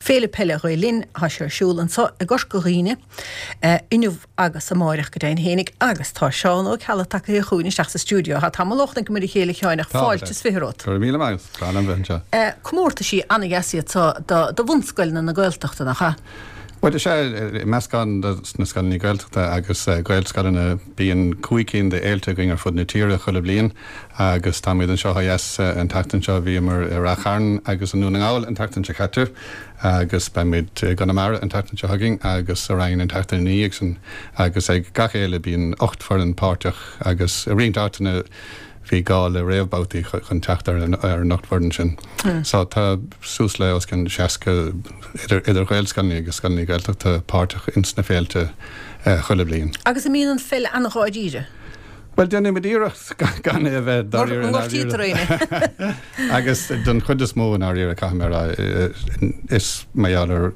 Féile Peile Ghael Linn, tá sé ar siúl anseo i gCorca Dhuibhne inniu agus amáireach go deimhin fhéinig agus tá Seán Ó Ceallaigh tagtha chugainn isteach sa stiúideo. Tá tamall ó chonaiceamar a chéile a Sheáin ach fáilte is 20 romhat. Go raibh míle maith agat, breá liom bheith anseo. Comórtaisí ana-dheas iad seo do bhunscoileanna na Gaeltachta, nach ea? Bhuel, is ea, meascán de na scoileanna Gaeltachta agus Gaelscoileanna. Bíonn 5 cinn de fhéilte againn ar fud na tíre chuile bhliain agus táimid anseo ó dheas an tseachtain seo. Bhíomar i Rath Chairn agus i nDún na nGall an tseachtain seo caite agus beimid i gConamara an tseachtain seo chugainn agus sa Rinn an tseachtain ina dhiaidh sin. Agus ag gach fhéile bíonn 8 foireann páirteach agus i roinnt áiteanna bhí gá le réamhbhabhtaí chun teacht ar an 8 bhfoireann sin. So tá suas le os cionn 60 idir idir Ghaelscoileanna agus scoileanna Gaeltachta páirteach ins na féilte chuile bhliain. Agus an mbíonn an pheil an-dháiríre? Bhuel, déanaimid iarracht gan é a bheith dáiríre i ndáiríre. Agus don chuid is mó i ndáiríre, caithfidh mé a rá, is mar gheall ar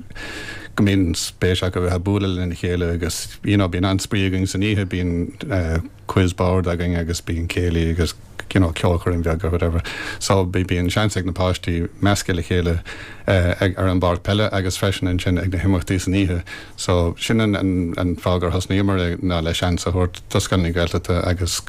go mbíonn spéis acu a bheith ag bualadh lena chéile agus you know bíonn an-spraoi againn san oíche, bíonn quiz board againn agus bíonn céilí agus you know ceolchoirm bheag or whatever. So bíonn seans ag na páistí meascadh le chéile ag ar an bpáirc peile agus freisin ansin ag na himeachtaí san oíche. So sin an an an fáth gur thosnaíomar é ná le seans a thabhairt do scoileanna Gaeltachta agus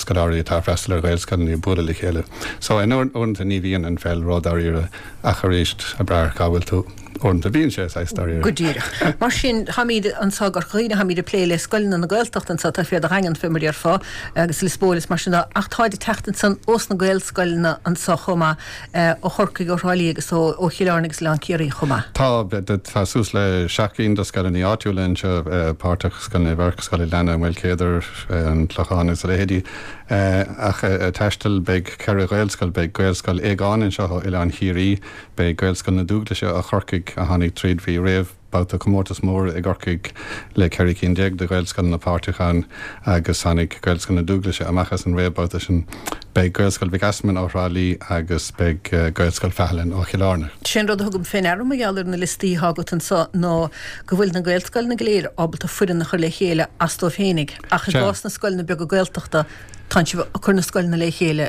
scoláirí atá ag freastal ar Ghaelscoileanna bualadh le chéile. So in uaireanta ní bhíonn an pheil ró-dáiríre ach arís ag brath ar cá bhfuil tú. Uaireanta bíonn sé saghas dáiríre. Go díreach. Mar sin, táimid anseo i gCorca Dhuibhne, táimid ag plé le scoileanna na Gaeltachta anseo, taobh thiar de Dhaingean, fé mar a déarfá, agus Lios Póil is mar sin de, ach táid ag teacht ansan ós na Gaelscoileanna anseo chomh maith, ó Chorcaigh, ó Thrá Lí agus ó Chill Airne agus Oileán Ciarraí chomh maith. Tá, tá suas le 7 gcinn de scoileanna áitiúla anseo páirteach, Scoil Naomh Eirc, Scoil an Ghleanna, Maoil Céadair, An Clochán agus a leithéidí. Ach ag taisteal beidh ceithre Ghaelscoil, beidh Gaelscoil Aogáin anseo ó Oileán Chiarraí, Beidh Gaelscoil na Dúglaise ó Chorcaigh, a tháinig tríd, bhí réamhbhabhta comórtas mór i gCorcaigh le 14 cinn de Ghaelscoileanna páirteach ann agus tháinig Gaelscoil na Dúglaise amach as an réamhbhabhta sin. Beidh Gaelscoil Mhic Easmainn ó Thrá Lí agus beidh Gaelscoil Phathalin ó Chill Airne. Sé an rud a thugaim fé ndeara mar gheall ar na liostaí atá agat anseo ná go bhfuil na Gaelscoileanna go léir ábalta foireann a chur le chéile as dóibh féinig ach i gcás na scoileanna beaga Gaeltachta Tánn sibh ag cur na scoileanna le chéile.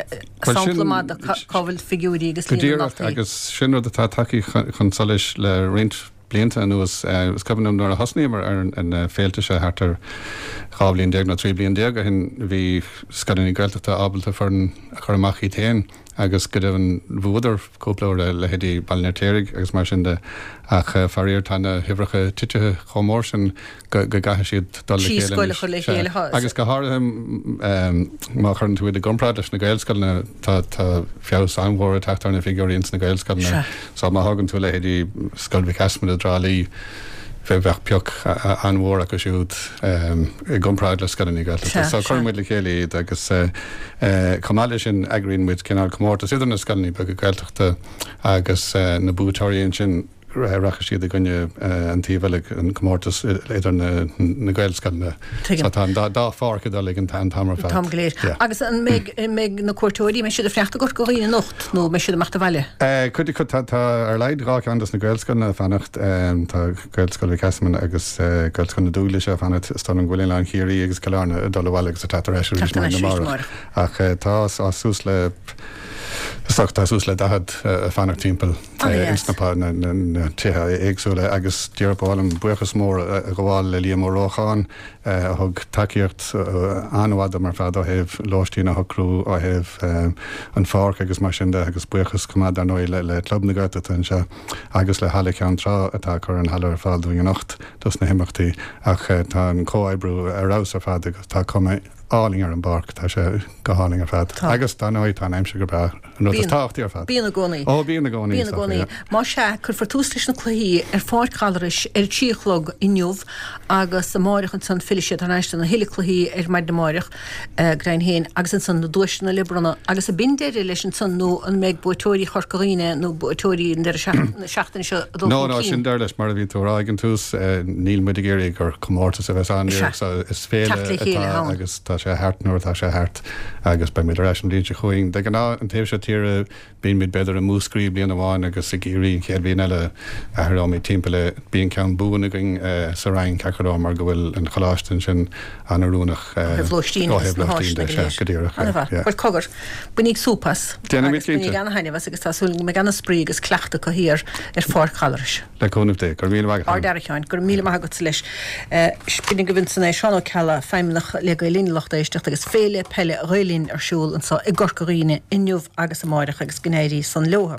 Sampla maith de cá bhfuil figiúirí agus líon na ndaltaí. Go díreach, agus sin rud atá tagtha chun solais le roinnt blianta anuas. Is cuimhin liom nuair a thosnaíomar ar na féilte seo thart ar 12 bhliain nó 13 bliain ó shin, bhí scoileanna Gaeltachta ábalta foireann a chur amach iad féin agus go deimhin bhuadar cúpla uair, leithéidí Baile an Fheirtéaraigh agus mar sin de. Ach faraor tá na huimhreacha titithe chomh mór sin go gcaithfidh siad dul le chéile anois. le chéile. Agus go háirithe má chuireann tú iad i gcomparáid leis na Gaelscoileanna, tá feabhas an-mhór ag teacht ar na figiúirí ins na Gaelscoileanna. So má thógann tú leithéidí Scoil Mhic Easmainn i dTrá Lí, bheadh pioc an-mhór acu siúd i gcomparáid le scoileanna Gaeltachta. So cuireann muid le chéile iad agus chomh maith leis sin eagraíonn muid cineál comórtas idir na scoileanna beaga Gaeltachta agus na buaiteoirí ansin. rachaidh siad i gcoinne an taobh eile, an comórtas idir na Gaelscoileanna. Tuigim. So tá an dá pháirc ag dul ag an t-am ar fad. An t-am go léir. Yeah. Agus an mbeidh, an mbeidh na cuairteoirí, mbeidh siad ag fanacht i gCorca Dhuibhne anocht nó mbeidh siad ag imeacht abhaile? Cuid acu, tá, tá ar a laghad dhá cheann dos na Gaelscoileanna ag fanacht. Tá Gaelscoil Mhic Easmainn agus Gaelscoil na Dúglaise ag fanacht. Is dóigh liom go bhfuil Oileán Chiarraí agus Cill Airne ag dul abhaile agus ag teacht ar ais arís maidin amárach. Ach tá suas le, is dócha, tá suas le 40 ag fanacht timpeall. ins na tithe éagsúla agus díreach ba mhaith liom buíochas mór a ghabháil le Liam Ó Rócháin a thug tacaíocht an-mhaith dom ar fad ó thaobh lóistín a shocrú, ó thaobh an pháirc agus mar sin de agus buíochas chomh maith dar ndóigh le Club na Gaeltachta anseo agus le Halla Cheann Trá atá ag cur an halla ar fáil dúinn anocht dos na himeachtaí ach tá an comhoibriú ar fheabhas ar fad agus tá cuma álainn ar an bpáirc, tá sé go hálainn ar fad. Agus dar ndóigh tá an aimsir go breá. An rud is tábhachtaí ar fad. Bíonn i gcónaí. Ó, bíonn i gcónaí. Bíonn i gcónaí. Más ea, cuirfear tús leis na cluichí ar Pháirc Ghallarais ar a 3 a chlog inniu agus amáireach ansan fillfidh siad thar n-ais do na huile cluichí ar maidin amáireach, go deimhin féin, agus ansan na duaiseanna le bronnadh. Agus ab in deireadh leis ansan nó an mbeidh buaiteoirí Chorca Dhuibhne nó buaiteoirí an deireadh na seachtaine seo ag dul chun cinn? No, no, sin deireadh leis. Mar a bhí tú a rá ag an tús, níl muid ag iarraidh gur comórtas a bheas ann. Sea. Is féile Teacht le chéile atá agus tá. sé thart nuair atá sé thart agus beimid ar ais an bhliain seo chugainn. De ghnáth, an taobh seo tíre, bímid b'fhéidir i Múscraí bliain amháin agus i gCiarraí an chéad bhliain eile, athróimid timpeall é. Bíonn ceann buan againn sa Rinn, ceart go leor, mar go bhfuil an choláiste ansin an-oiriúnach ó thaobh lóistín agus na háiseanna go léir. Go díreach, yeah. Bhuel, cogar, bainíg súp as. Déanfaimid cinnte. Agus bainíg ana-thaitneamh as agus tá súil go mbeidh ana-spraoi agus cleachtadh acu thiar ar Pháirc Ghallarais. Le cúnamh Dé. Go raibh míle maith agat. Ard-fhear a Sheáin. Go raibh míle maith agatsa leis. B'in agaibh ansan é Seán Ó Ceallaigh, Feidhmeannach le Gael Linn a lucht éisteachta agus Féile Peile Ghael Linn ar siúl anso i gCorca Dhuibhne inniu agus amáireach agus go n-éirí san leotha.